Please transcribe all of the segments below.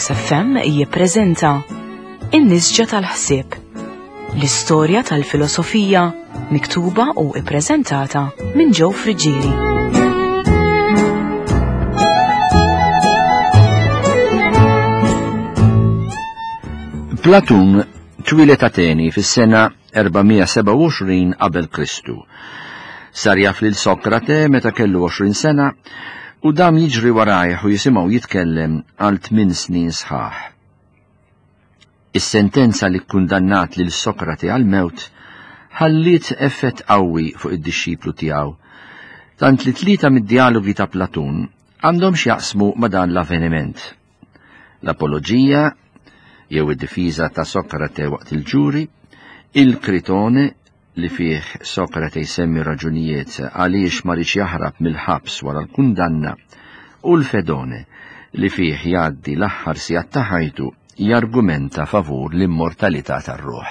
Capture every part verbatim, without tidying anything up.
Veritas F M jippreżenta In-Nisġa tal-Ħsieb, l-istorja tal-filosofija miktuba u ippreżentata minn Joe Friggieri. Platun twieled Ateni fis-sena erba' mija sebgħa u għoxrin qabel Kristu. Sar jaf lil Sokrate meta kellu għoxrin sena u dam jiġri warajh u jisimgħu jitkellem għal tmien snin sħaħ. Is-sentenza li kkundannat lil Sokrate għal-mewt ħalliet effett qawwi fuq id-dixxiplu tiegħu, tant li tlieta mid-dialogi ta' Platun għandhom x'jaqsmu ma' dan l-avveniment. L-apoloġija, jew id-difiża ta' Sokrate waqt il-ġuri, il-Kritone li fih Sokrate jsemmi raġunijiet għaliex ma riedx jaħrab mill-ħabs wara l-kundanna, u l-Fedone li fih jgħaddi l-aħħar sigħat ta' ħajtu jargumenta favur l-immortalità tar-ruħ.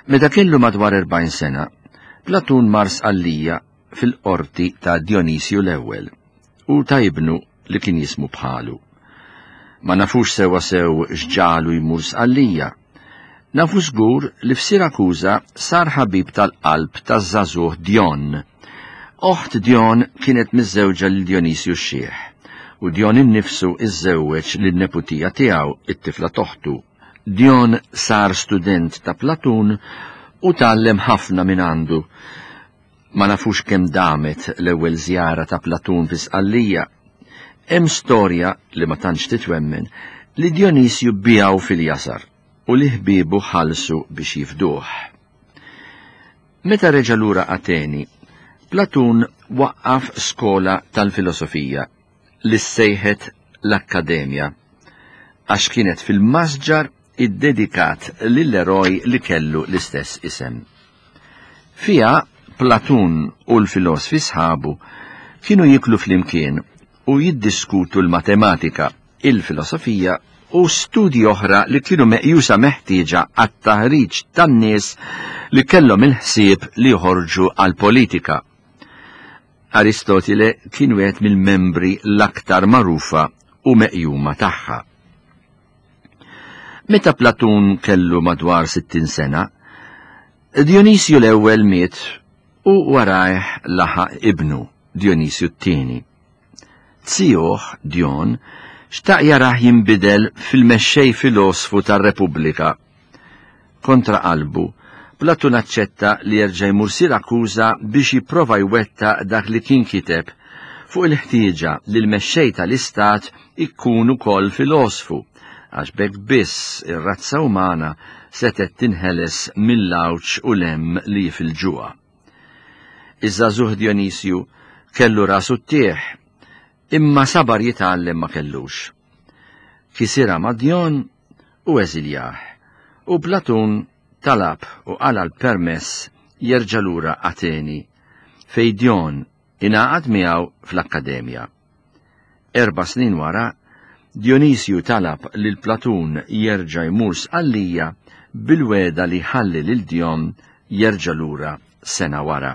Meta kellu madwar erbgħin sena, Platun mar Sqallija fil-qorti ta' Dionisju l-ewwel u ta' ibnu li kien jismu bħalu. Ma nafux sewwa sew x'ġalu jmur Sqallija. Nafu żgur li f'Sirakuża sar ħabib tal-qalb taż-żagħżugħ Dion. Oħt Dion kienet miżżewġa lil Dionisju x-Xiħ, u Dion innifsu iżżewweġ lin-neputija tiegħu, it-tifla toħtu. Dion sar student ta' Platun u tgħallem ħafna minn għandu. Ma nafux kemm damet l-ewwel żjara ta' Platun fi Sqallija. Hemm storja li ma tantx titwemmen li Dionisju biegħu fil-jasar u li ħbiebu ħallsu biex jifduh. Meta reġa' lura Ateni, Platun waqqaf skola tal-filosofija li ssejħet l-Akkademja, għax kienet fil-masġar iddedikat lill-eroj li kellu l-istess isem. Fiha Platun u l-filosfi sħabu kienu jiklu flimkien u jiddiskutu l-matematika, il-filosofija u studji oħra li kienu meqjusa meħtieġa għat-taħriġ tan-nies li kellhom il-ħsieb li joħorġu għall-politika. Aristotile kien wieħed mill-membri l-aktar magħrufa u meqjuma tagħha. Meta Platun kellu madwar sittin sena, Dionisju l-ewwel miet u warajh laħaq ibnu Dionisju t-tieni. Zijuh Dion xtaq jarah jinbidel fil-mexxej filosfu tar-Repubblika. Kontra qalbu, Platun aċċetta li jerġa' jmur Sirakuża biex jipprova jwettaq dak li kien kiteb fuq il-ħtieġa li l-mexxej tal-istat ikun ukoll filosfu, għax b'hekk biss ir-razza umana setgħet tinħeles mill-għawġ u l-hemm li jifilġuha. Iż-żagħżugħ Dionisju kellu rasu ttieħ, imma sabar jitgħallem ma kellux. Kisirha ma' Dion u eżiljah, u Platun talab u qala l-permess jerġa' lura Ateni, fej Dion ingħaqad miegħu fl-Akkademja. Erba' snin wara, Dionisju talab lil Platun jerġa' jmur Sqallija bil-weda li ħalli lil Dion jerġa' lura sena wara.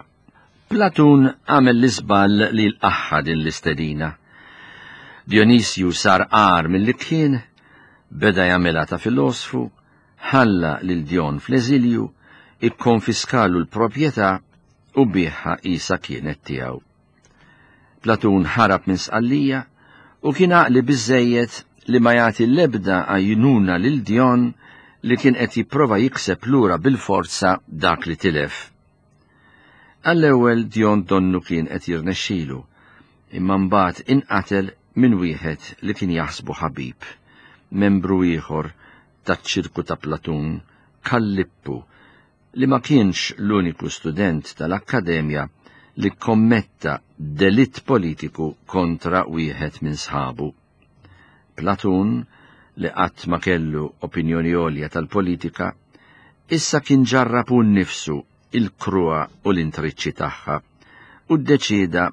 Platun għamel l-iżball li l-aħħa din l-istedina. Dionisju sar għar mill-li kien, beda jagħmilha ta' filosfu, ħalla lil Dion fl-eżilju, ikkonfiskalu l-proprjetà u biegħha qisha kienet tiegħu. Platun ħarab minn Sqallija u kien għaqli biżżejjed li ma jagħti l-ebda għajnuna lil Dion li kien qed jipprova jikseb lura bil-forza dak li tilef. Għall-ewwel Dion donnu kien qed jirnexxilu, imma mbagħad inqatel minn wieħed li kien jaħsbu ħabib, membru ieħor taċ-ċirku ta' Platun, Kallippu, li ma kienx l-uniku student tal-Akkademja li kommetta delitt politiku kontra wieħed minn sħabu. Platun, li qatt ma kellu opinjoni għolja tal-politika, issa kien ġarrab hu nnifsu il-kruha u l-intriċċi tagħha u ddeċieda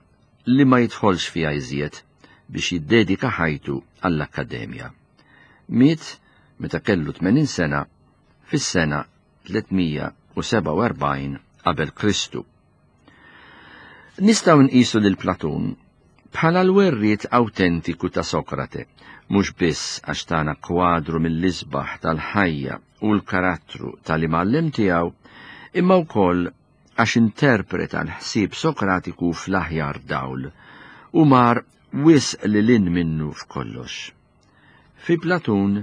li ma jidħolx fiha iżjed biex jiddedika ħajtu għall-Akkademja. Miet meta kellu tmenin sena fis-sena tliet mija u sebgħa u erbgħin qabel Kristu. Nistgħu nqisu lil Platun bħala l-werriet awtentiku ta' Sokrate, mhux biss għax tana kwadru mill-isbaħ tal-ħajja u l-karattru tal-imgħallem tiegħu, imma wkoll għax interpreta l-ħsieb Sokratiku fl-aħjar dawl u mar wisq lil hinn minnu f'kollox. Fi Platun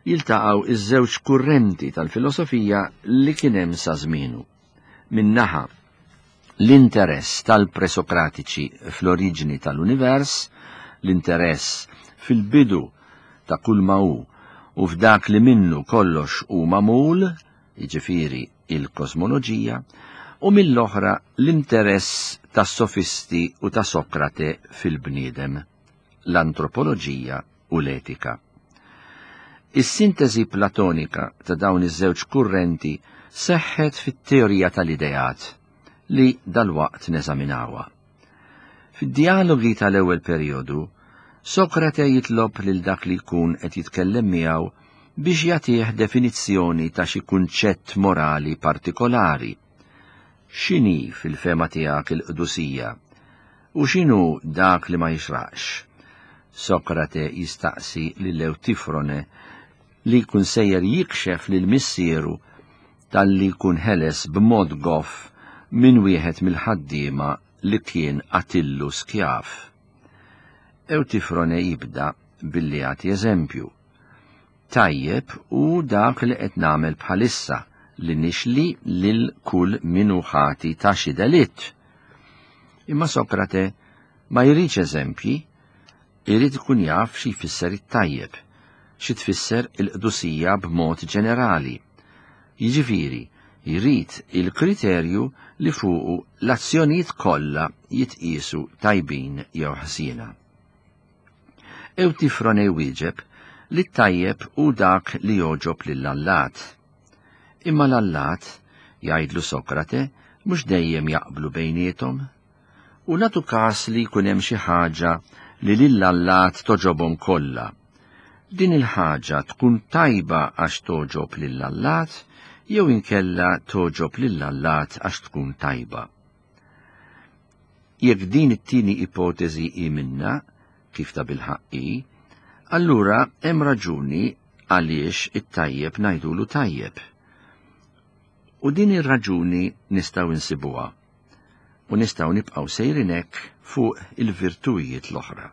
jiltaqgħu iż-żewġ kurrenti tal-filosofija li kien hemm sa żmienu. Min-naħa l-interess tal-presokratiċi fl-oriġini tal-univers, l-interess fil-bidu ta' kull ma hu u f'dak li minnu kollox hu magħmul, jiġifieri il-kosmoloġija, u mill-oħra l-interess tas-sofisti u ta' Sokrate fil-bniedem, l-antropoloġija u l-etika. Is-sintesi platonika ta' dawn iż-żewġ kurrenti seħħet fit-teorija tal-ideat li dalwaqt neżaminawha. Fid-dialogi tal-ewwel perjodu, Sokrate jitlob lil dak li jkun qed jitkellem miegħu biex jagħtih definizzjoni ta' xi kunċett morali partikolari. X'inhi fil-fehma tiegħek il-qdusija? U x'inhu dak li ma jixraqx? Sokrate jistaqsi lil Ewtifrone li jkun sejjer jikxef lil missieru talli jkun ħeles b'mod goff minn wieħed mill-ħaddiema li kien qatillu skjav. Ewtifrone jibda billi jagħti eżempju. Tajjeb hu dak li qed nagħmel bħalissa li nixli lil kull min hu ħati ta' xi delitt. Imma Sokrate ma jridx eżempji, irid ikun jaf xi jfisser it-tajjeb, xi tfisser il-qdusija b'mod ġenerali. Jiġifieri, jrid il-kriterju li fuqu l-azzjonijiet kollha jitqiesu tajbin jew ħsiena. Ewtifrone wieġeb li t-tajjeb hu dak li jogħġob lill-allat. Imma l-allat, jgħidlu Sokrate, mhux dejjem jaqblu bejniethom. U nagħtu każ li jkun hemm xi ħaġa li lill-allat togħġobhom kollha. Din il-ħaġa tkun tajba għax togħġob lill-allat jew inkella togħġob lill-allat għax tkun tajba. Jekk din it-tieni ipoteżi hi minna, kif ta' bilħaqq hi, allura hemm raġuni għaliex it-tajjeb ngħidulu tajjeb. U din ir-raġuni nistgħu insibuha u nistgħu nibqgħu sejrin hekk fuq il-virtujiet l-oħra.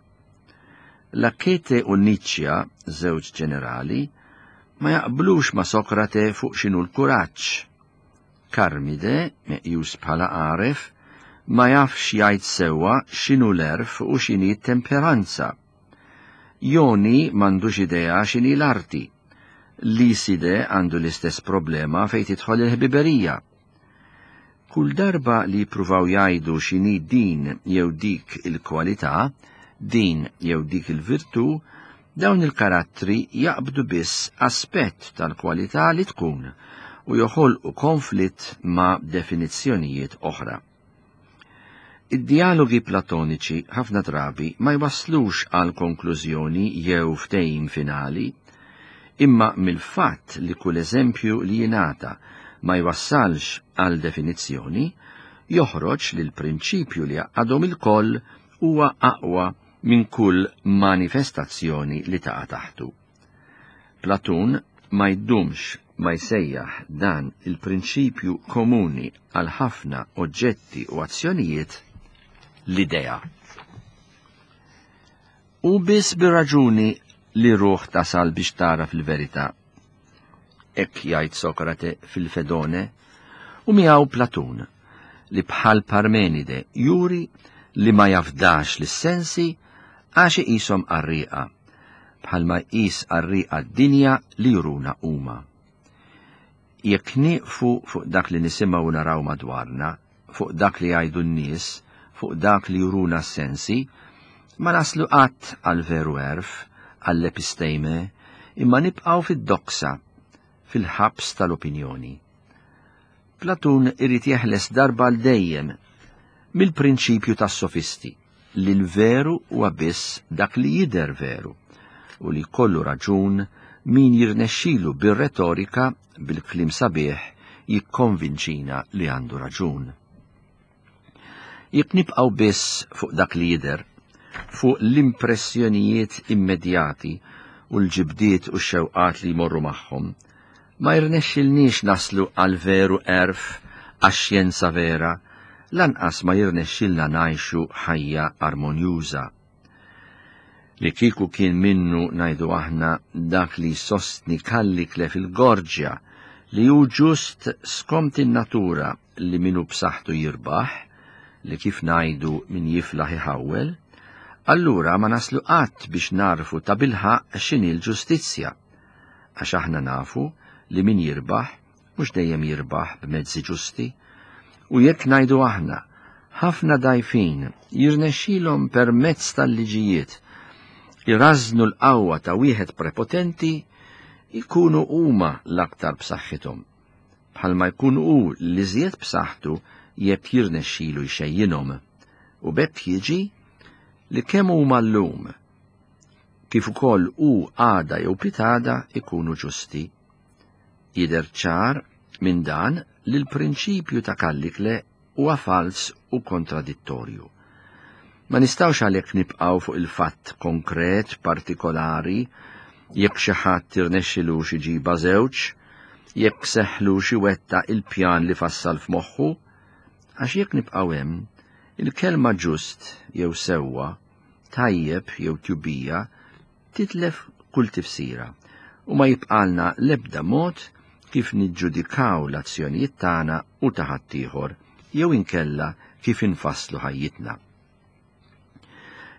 Lakete u Niċċja, żewġ ġenerali, ma jaqblux ma' Sokrate fuq x'inhu l-kuraġġ. Karmide, meqjus bħala għaref, ma jafx jgħid sewwa x'inhu l-għerf u x'inhi t-temperanza. Joni m'għandux idea x'inhi l-arti. Liside għandu l-istess problema fejn tidħol il-ħbiberija. Kull darba li jippruvaw jgħidu x'inhi din jew dik il-kwalità, din jew dik il-virtù, dawn il-karattri jaqbdu biss aspett tal-kwalità li tkun u joħolqu konflitt ma' definizzjonijiet oħra. Id-dialogi platoniċi ħafna drabi ma jwasslux għal konklużjoni jew ftehim finali, imma mill-fatt li kull eżempju li jingħata ma jwassalx għal definizzjoni, joħroġ li l-prinċipju li għadhom il-koll huwa aqwa minn kull manifestazzjoni li taqa' taħtu. Platun ma jdumx ma jsejjaħ dan il-prinċipju komuni għal ħafna oġġetti u azzjonijiet l-idea. U biss bir-raġuni li ruħ tasal biex tara fil-verità. Hekk jgħid Sokrate fil-Fedone u miegħu Platun li bħal Parmenide juri li ma jafdax lis-sensi għax iqishom qarrieqa, bħalma jqis qarrieqa d-dinja li juruna huma. Jekk nieqfu fuq dak li nisimgħu naraw madwarna, fuq dak li jgħidu n-nies, fuq dak li juruna s-sensi, ma naslu qatt għal veru għerf, għall-episteme, imma nibqgħu fid-doksa, fil-ħabs tal-opinjoni. Platun irid jeħles darba għal dejjem mill-prinċipju tas-sofisti li l-veru huwa biss dak li jidher veru u li kollu raġun min jirnexxilu bir-retorika bil-kliem sabiħ jikkonvinċina li għandu raġun. Jekk nibqgħu biss fuq dak li jidher fuq l-impressjonijiet immedjati u l-ġibdiet u x-xewqat li jmorru magħhom, ma jirnexxilniex naslu għal veru għerf, għax-xjenza vera, lanqas ma jirnexxilna ngħixu ħajja armonjuża. Li kieku kien minnu ngħidu aħna dak li sostni Kallikle fil-Gorġja li hu ġust skont in-natura li minu b'saħħtu jirbaħ, li kif ngħidu min jiflaħ iħawwel, allura ma naslu qatt biex narfu ta' bilħaq x'inhi l-ġustizzja, għax aħna nafu li min jirbaħ mhux dejjem jirbaħ b'mezzi ġusti, u jekk ngħidu aħna ħafna dajfin jirnexxilhom permezz tal-liġijiet irażnu l-qawwa ta' wieħed prepotenti, ikunu huma l-aktar b'saħħithom, bħalma jkun hu l-iżjed b'saħħtu jekk jirnexxilu jxejjinhom, u b'hekk jiġi li kemm huma llum kif ukoll hu għada jew pitada ikunu ġusti. Jidher ċar minn dan li l-prinċipju ta' Kallikle huwa fals u kontradittorju. Ma nistgħux għalhekk nibqgħu fuq il-fatt konkret partikolari jekk xi ħadd irnexxilux iġibha żewġ, jekk seħħlux iwettaq il-pjan li fassal f'moħħu, għax jekk nibqgħu hemm, il-kelma ġust jew sewwa, tajjeb jew tjubija, titlef kull tifsira u ma jibqalna l-ebda mod kif niġġudikaw l-azzjonijiet tagħna u ta' ħaddieħor jew inkella kif infasslu ħajjitna.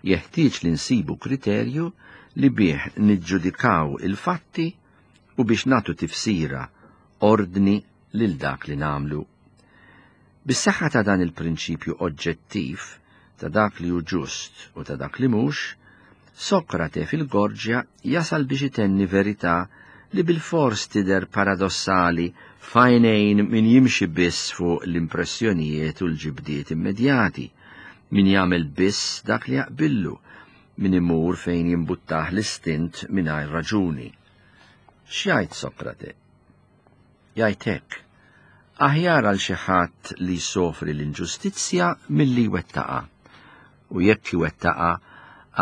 Jeħtieġ li nsibu kriterju li bih niġġudikaw il-fatti u biex nagħtu tifsira ordni lil dak li nagħmlu. Bis-saħħa ta' dan il-prinċipju oġġettiv ta' dak li hu ġust u ta' dak li mhux, Sokrate fil-Gorġja jasal biex itenni verità li bil-fors tidher paradossali f'għajnejn min jimxi biss fuq l-impressjonijiet u l-ġibdiet immedjati, min jagħmel biss dak li jaqbillu, min imur fejn jimbuttah l-istint mingħajr raġuni. X'jgħid Sokrate? Jgħid hekk: aħjar għal xi ħadd li jsofri l-inġustizzja milli jwettaqha, u jekk iwettaqha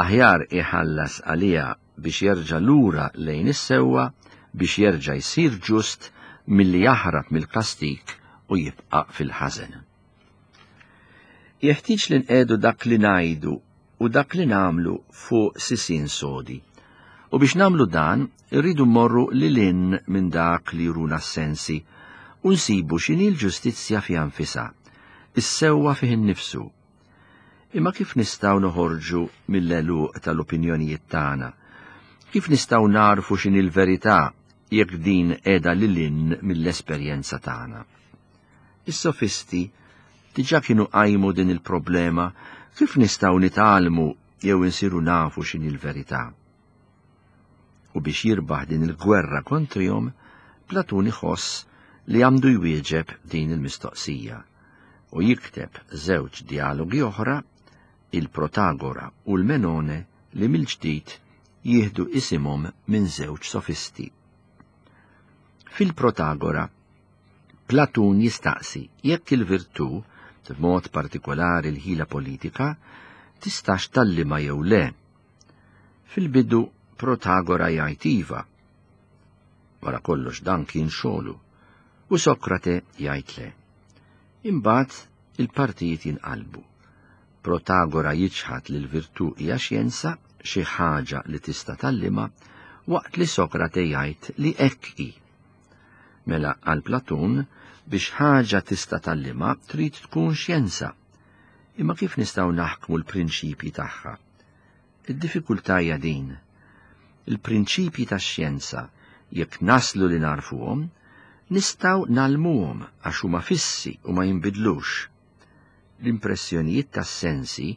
aħjar iħallas għaliha biex jerġa' lura lejn is-sewwa, biex jerġa' jsir ġust milli jaħrab mill-kastik u jibqa' fil-ħażen. Jeħtieġ li nqegħdu dak li ngħidu u dak li nagħmlu fuq sisien sodi. U biex nagħmlu dan, irridu mmorru lil hinn minn dak li juruna s-sensi u nsibu x'inhi l-ġustizzja fiha nfisha, is-sewwa fih innifsu. Imma kif nistgħu noħorġu mill-għeluq tal-opinjonijiet tagħna? Kif nistgħu narfu x'inhi l-verità jekk din qiegħda lil hinn mill-esperjenza tagħna? Is-sofisti diġà kienu qajmu din il-problema kif nistgħu nitgħallmu jew insiru nafu x'inhi l-verità. U biex jirbaħ din il-gwerra kontrihom, Platun iħoss li għandu jwieġeb din il-mistoqsija u jikteb żewġ dialogi oħra, il-Protagora u l-Menone, li mill-ġdid jieħdu isimhom minn żewġ sofisti. Fil-Protagora, Platun jistaqsi jekk il-virtù, b'mod partikolari l-ħila politika, tistax tgħallimha jew le. Fil-bidu Protagora jgħid iva. Wara kollox dan kien xogħlu, u Sokrate jgħid le. Imbagħad il-partijiet jinqalbu. Protagora jiċħad li l-virtù hija xjenza, xi ħaġa li tista' tgħallimha, waqt li Sokrate jgħid li hekk hi. Mela għal Platun biex ħaġa tista' tgħallimha trid tkun xjenza. Imma kif nistgħu naħkmu l-prinċipji tagħha? Id-diffikultà hija din. Il-prinċipji tax-xjenza, jekk naslu li narfuhom, nistgħu nagħlmuhom għax huma fissi u ma jinbidlux. L-impressjonijiet tas-sensi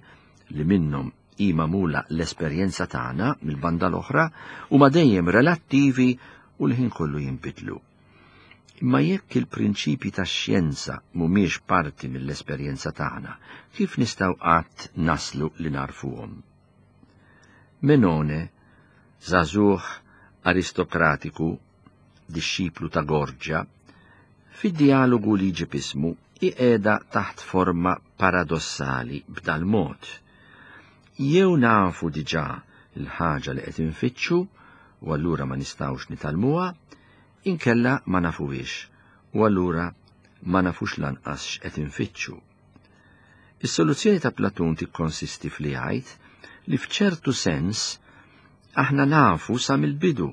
li minnhom hi magħmula l-esperjenza tagħna mill-banda l-oħra huma dejjem relattivi u l-ħin kollu jinbidlu. Imma jekk il-prinċipji tax-xjenza mhumiex parti mill-esperjenza tagħna, kif nistgħu qatt naslu li narfuhom? Menone, żagħżugħ aristokratiku, dixxiplu ta' Gorġja, fid-dialogu li jġib ismu iqiegħda taħt forma paradossali b'dal-mod. Jew nafu diġà l-ħaġa li qed infittxu u allura ma nistgħux nitgħallmuha, inkella ma nafuhiex u allura ma nafux lanqas x'qed infittxu. Is-soluzzjoni ta' Platun tikkonsisti f'li jgħid li f'ċertu sens aħna nafu sa mill-bidu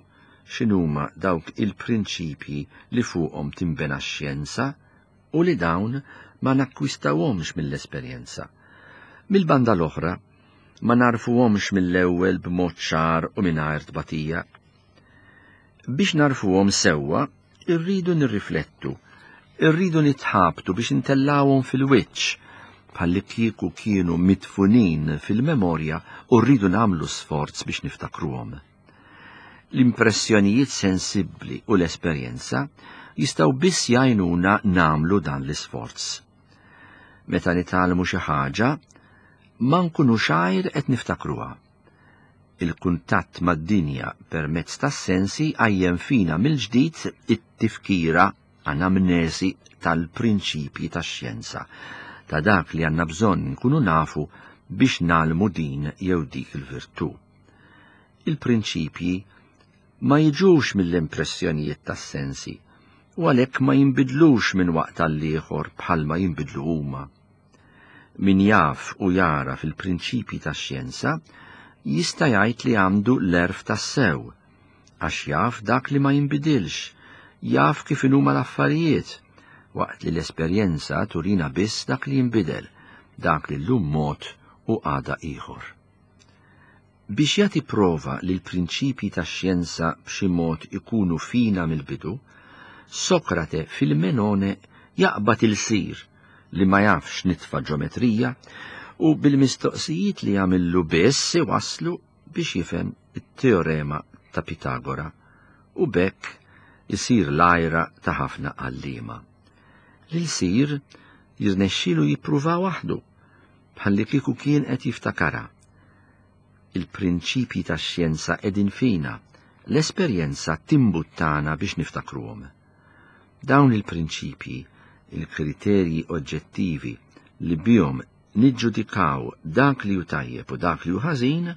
x'inhuma dawk il-prinċipji li fuqhom tinbena x-xjenza u li dawn ma nakkwistawhomx mill-esperjenza. Mill-banda l-oħra, ma narfuhomx mill-ewwel b'mod ċar u mingħajr tbatija. Biex narfuhom sewwa, irridu nirriflettu, irridu nitħabtu biex intellawhom fil-wiċċ, bħalli kieku kienu mitfunin fil-memorja u rridu nagħmlu sforz biex niftakruhom. L-impressjonijiet sensibbli u l-esperjenza jistgħu biss jgħinuna nagħmlu dan l-isforz. Meta nitgħallmu xi ħaġa, ma nkunux għajr qed niftakruha. Il-kuntatt mad-dinja permezz tas-sensi għajjem fina mill-ġdid it-tifkira anamnesi tal-prinċipji tax-xjenza, ta' dak li għandna bżonn nkunu nafu biex nagħlmu din jew dik il-virtù. Il-prinċipji ma jiġux mill-impressjonijiet tas-sensi u għalhekk ma jinbidlux minn waqt għal ieħor bħalma jinbidlu huma. Min jaf u jara fil-prinċipji tax-xjenza jista' jgħid li għandu l-erf tas-sew, għax jaf dak li ma jinbidilx, jaf kif inhuma l-affarijiet, waqt li l-esperjenza turina biss dak li jinbidel, dak li llum mod u għada ieħor. Biex jagħti prova li l-prinċipji tax-xjenza b'xi mod ikunu fina mill-bidu, Sokrate fil-Menone jaqbad il-sir li ma jafx nitfa ġometrija u bil-mistoqsijiet li jagħmillu biss iwasslu biex jifhem it-teorema ta' Pitagora u b'hekk isir l-għajra ta' ħafna għalliema. Lil sir jirnexxielu jippruva waħdu bħalli kieku kien qed jiftakara. Il-prinċipji tax-xjenza qegħdin fina, l-esperjenza timbuttana biex niftakruhom. Dawn il-prinċipji, il-kriterji oġġettivi li bihom niġġudikaw dak li hu tajjeb u dak li hu ħażin,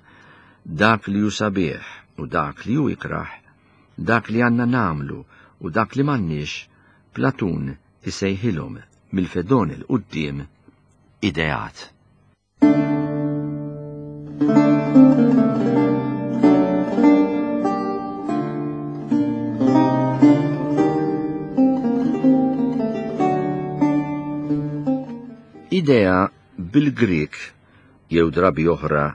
dak li hu sabiħ u dak li hu ikrah, dak li għandna nagħmlu u dak li m'għandniex, Platun isejħilhom mill-Fedon il quddiem ideat. Idea bil-Grik jew drabi oħra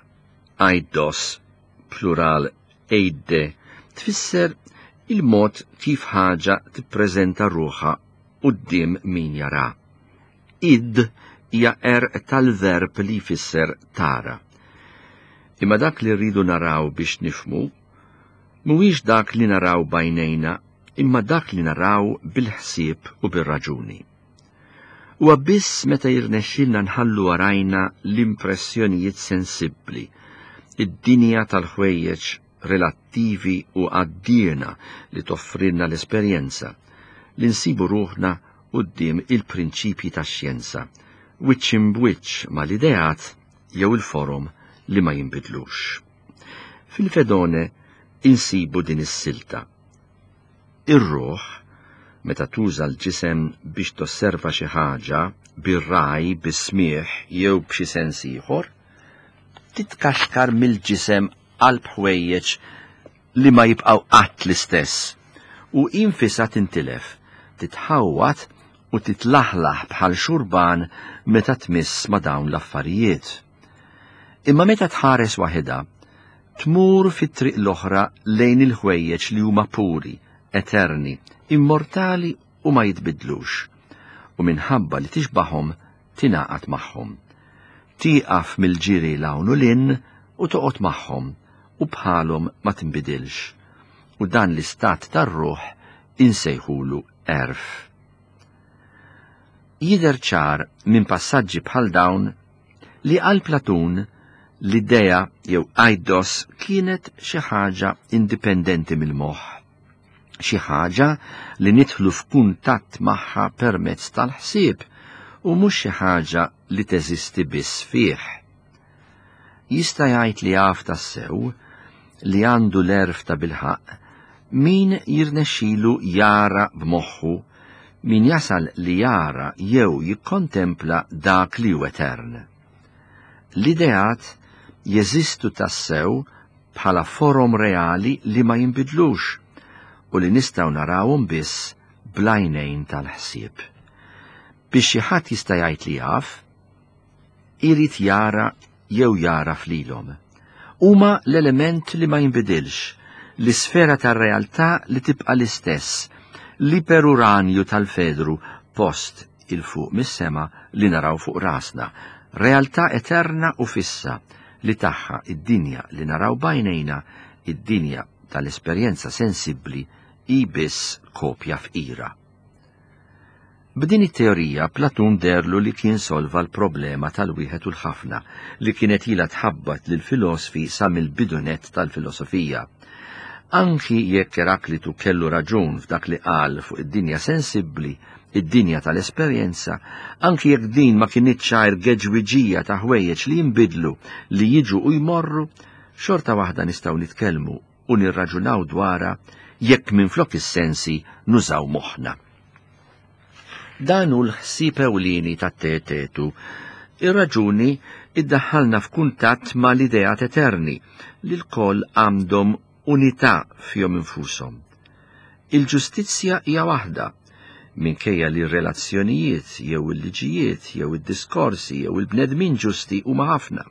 eidos, plural eide, tfisser il-mod kif ħaġa tippreżenta ruħha quddiem min jara. Id hija er tal-verb li jfisser tara. Imma dak li rridu naraw biex nifhmu mhuwiex dak li naraw b'għajnejna, imma dak li naraw bil-ħsieb u bir-raġuni. Huwa biss meta jirnexxilna nħallu warajna l-impressjonijiet sensibbli, id-dinja tal-ħwejjeġ relattivi u għaddiena li toffrilna l-esperjenza, li nsibu ruħna quddiem il-prinċipji tax-xjenza, wiċċ imbwiċċ mal-ideat jew il-forom li ma jinbidlux. Fil-Fedone insibu din is-silta. Ir-ruħ, meta tuża l-ġisem biex tosserva xi ħaġa bir-raj, bis-smieħ jew b'xi sens ieħor, titkaxkar mill-ġisem qalb ħwejjeġ li ma jibqgħu qatt l-istess u infisha tintilef, titħawwat u titlaħlaħ bħal xurban meta tmiss ma' dawn l-affarijiet. Imma meta tħares waħedha, tmur fit-triq l-oħra lejn il-ħwejjeġ li huma puri, eterni, immortali u ma jitbidlux, u minħabba li tixbahom tingħaqad magħhom. Tieqaf mill-ġiri 'l hawn u 'l hinn u toqgħod magħhom u bħalhom ma tinbidilx. U dan l-istat tar-ruħ insejħulu erf. Jidher ċar minn passaġġi bħal dawn li għal Platun l-idea jew eidos kienet xi ħaġa indipendenti mill-moħħ, xi ħaġa li nidħlu f'kuntatt magħha permezz tal-ħsieb u mhux xi ħaġa li teżisti biss fih. Jista' jgħid li jaf tassew, li għandu l-għerf ta' bilħaqq, min jirnexxilu jara b'moħħu, min jasal li jara jew jikkontempla dak li hu etern. L-ideat jeżistu tassew bħala forom reali li ma jinbidlux u li nistgħu narawhom biss bl-għajnejn tal-ħsieb. Biex xi ħadd jista' jgħid li jaf, irid jara jew jara flilhom. Huma l-element li ma jinbidilx, l-isfera tar-realtà li tibqa' l-istess, l-iperuranju tal-Fedru post il-fuq mis-sema li naraw fuq rasna, realtà eterna u fissa li tagħha id-dinja li naraw bajnejna, id-dinja tal-esperjenza sensibbli hi biss kopja fqira. B'din it-teorija Platun derlu li kien solva l-problema tal-wieħed u l-ħafna li kienet ilha tħabbat lill-filosfi sa mill-bidunet tal-filosofija. Anki jekk Eraklitu kellu raġun f'dak li qal fuq id-dinja sensibbli, id-dinja tal-esperjenza, anki jekk din ma kinitx għajr geġwiġija ta' ħwejjeġ li jinbidlu, li jiġu u jmorru, xorta waħda nistgħu nitkellmu u nirraġunaw dwarha jekk minflok is-sensi nużaw moħħna. Dan hu l-ħsieb ewlieni tat-Teetetu. Ir-raġuni iddaħħalna f'kuntatt ma' l-ideat eterni li lkoll għandhom unità fihom infushom. Il-ġustizzja hija waħda, minkejja li r-relazzjonijiet jew il-liġijiet jew id-diskorsi jew il-bnedmin ġusti huma ħafna.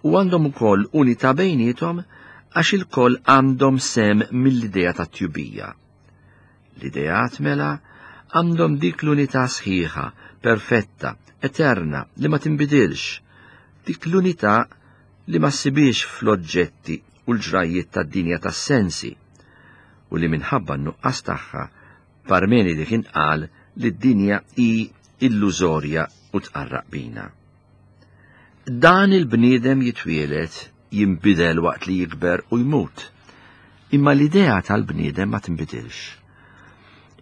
U għandhom ukoll unità bejniethom għax ilkoll għandhom sem mill-idea tat-tjubija. L-ideat mela għandhom dik l-unità sħiħa, perfetta, eterna, li ma tinbidilx, dik l-unità li ma ssibix fl-oġġetti u l-ġrajjiet tad-dinja tas-sensi, u li minħabba n-nuqqas tagħha Parmenide kien qal li d-dinja hi illużorja u tqarraq bina. Dan il-bniedem jitwieled, jinbidel waqt li jikber u jmut, imma l-idea tal-bniedem ma tinbidilx.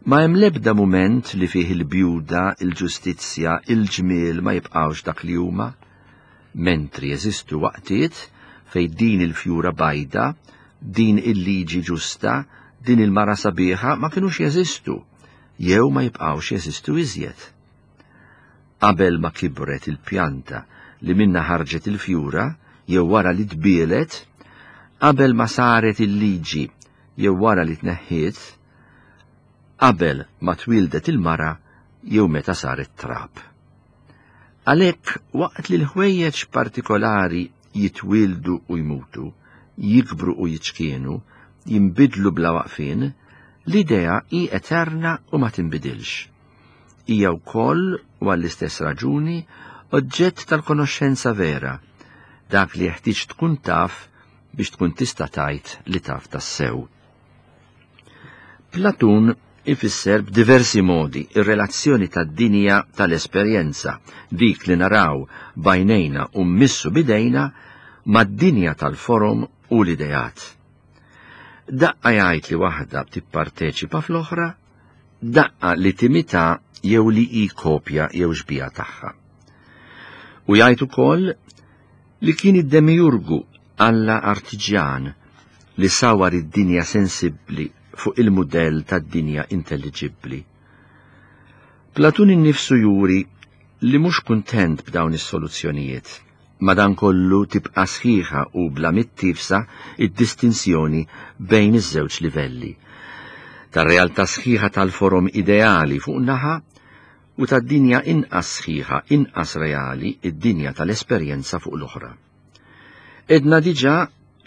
Ma hemm l-ebda mument li fih il-bjuda, il-ġustizzja, il-ġmiel ma jibqgħux dak li huma, mentri jeżistu waqtiet fejn din il-fjura bajda, din il-liġi ġusta, din il-mara sabiħa ma kinux jeżistu, jew ma jibqgħux jeżistu iżjed. Qabel ma kibret il-pjanta li minna ħarġet il-fjura, jew wara li tbielet, qabel ma saret il-liġi jew wara li tneħħiet, qabel ma twildet il-mara jew meta saret trab. Għalhekk waqt li l-ħwejjeġ partikolari jitwildu u jmutu, jikbru u jiċkienu, jinbidlu bla waqfien, l-idea hi eterna u ma tinbidilx. Hija wkoll, u għall-istess raġuni, oġġett tal-konoxxenza vera, dak li jeħtieġ tkun taf biex tkun tista' tgħid li taf tassew. Platun ifisser b'diversi modi ir-relazzjoni tad-dinja tal-esperjenza, dik li naraw b'għajnejna u mmissu b'idejna, mad-dinja tal-forom u l-ideat. Daqqa jgħid li waħda tipparteċipa fl-oħra, daqqa li timita jew li hi kopja jew xbija tagħha. U jgħid ukoll li kien id-demiurgu Alla artiġjan li sawar id-dinja sensibbli fuq il-mudell tad-dinja intelliġibbli. Platun innifsu juri li mhux kuntent b'dawn is-soluzzjonijiet. Madankollu tibqa' sħiħa u bla mittifsa id-distinzjoni bejn iż-żewġ livelli. Tar-realtà sħiħa tal-forom ideali fuq naħa u tad-dinja inqas sħiħa, inqas reali, id-dinja tal-esperjenza fuq l-oħra. Edna diġà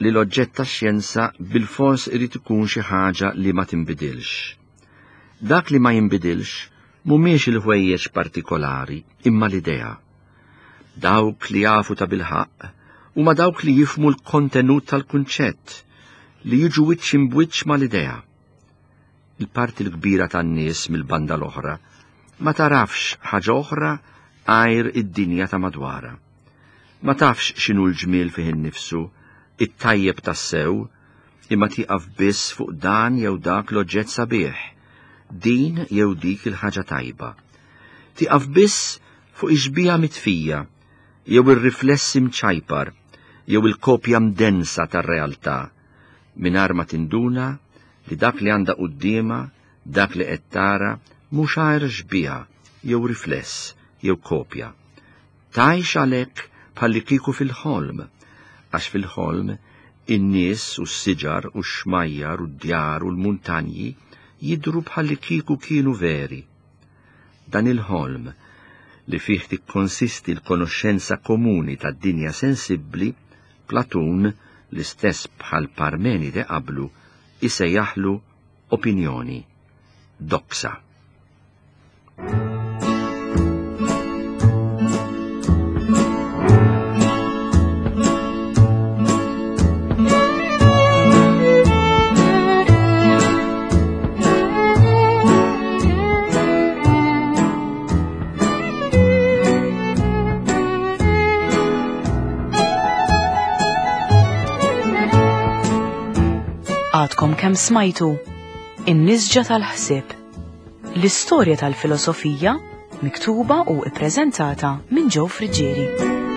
li l-oġġett tax-xjenza bil-fors irid ikun xi ħaġa li ma tinbidilx. Dak li ma jinbidilx mhumiex il-ħwejjeġ partikolari, imma l-idea. Dawk li jafu ta' bilħaqq huma dawk li jifhmu l-kontenut tal-kunċett, li jiġu wiċċ imbwiċċ mal-idea. Il-parti l-kbira tan-nies mill-banda l-oħra ma tarafx ħaġa oħra għajr id-dinja ta' madwarha. Ma tafx x'inhu l-ġmiel fih innifsu, it-tajjeb tassew, imma tieqaf biss fuq dan jew dak l-oġġett sabiħ, din jew dik il-ħaġa tajba. Tieqaf biss fuq ix-xbieha mitfija jew ir-riflessi mċajpar, jew il-kopja mdensa tar-realtà, mingħajr ma tinduna li dak li għandha quddiemha, dak li qed tara, mhux għajr xbieha jew rifless jew kopja. Tgħix għalhekk bħallikieku fil-ħolm, għax fil-ħolm in-nies u s-siġar u x-xmajjar u d-djar u l-muntanji jidhru bħallikieku kienu veri. Dan il-ħolm li fih tikkonsisti l-konoxxenza komuni tad-dinja sensibbli, Platun, l-istess bħal Parmenide qablu, isejjaħlu opinjoni, doxa. Għadkom kemm smajtu In-Nisġa tal-Ħsieb, l-istorja tal-filosofija miktuba u ippreżentata minn Joe Friggieri.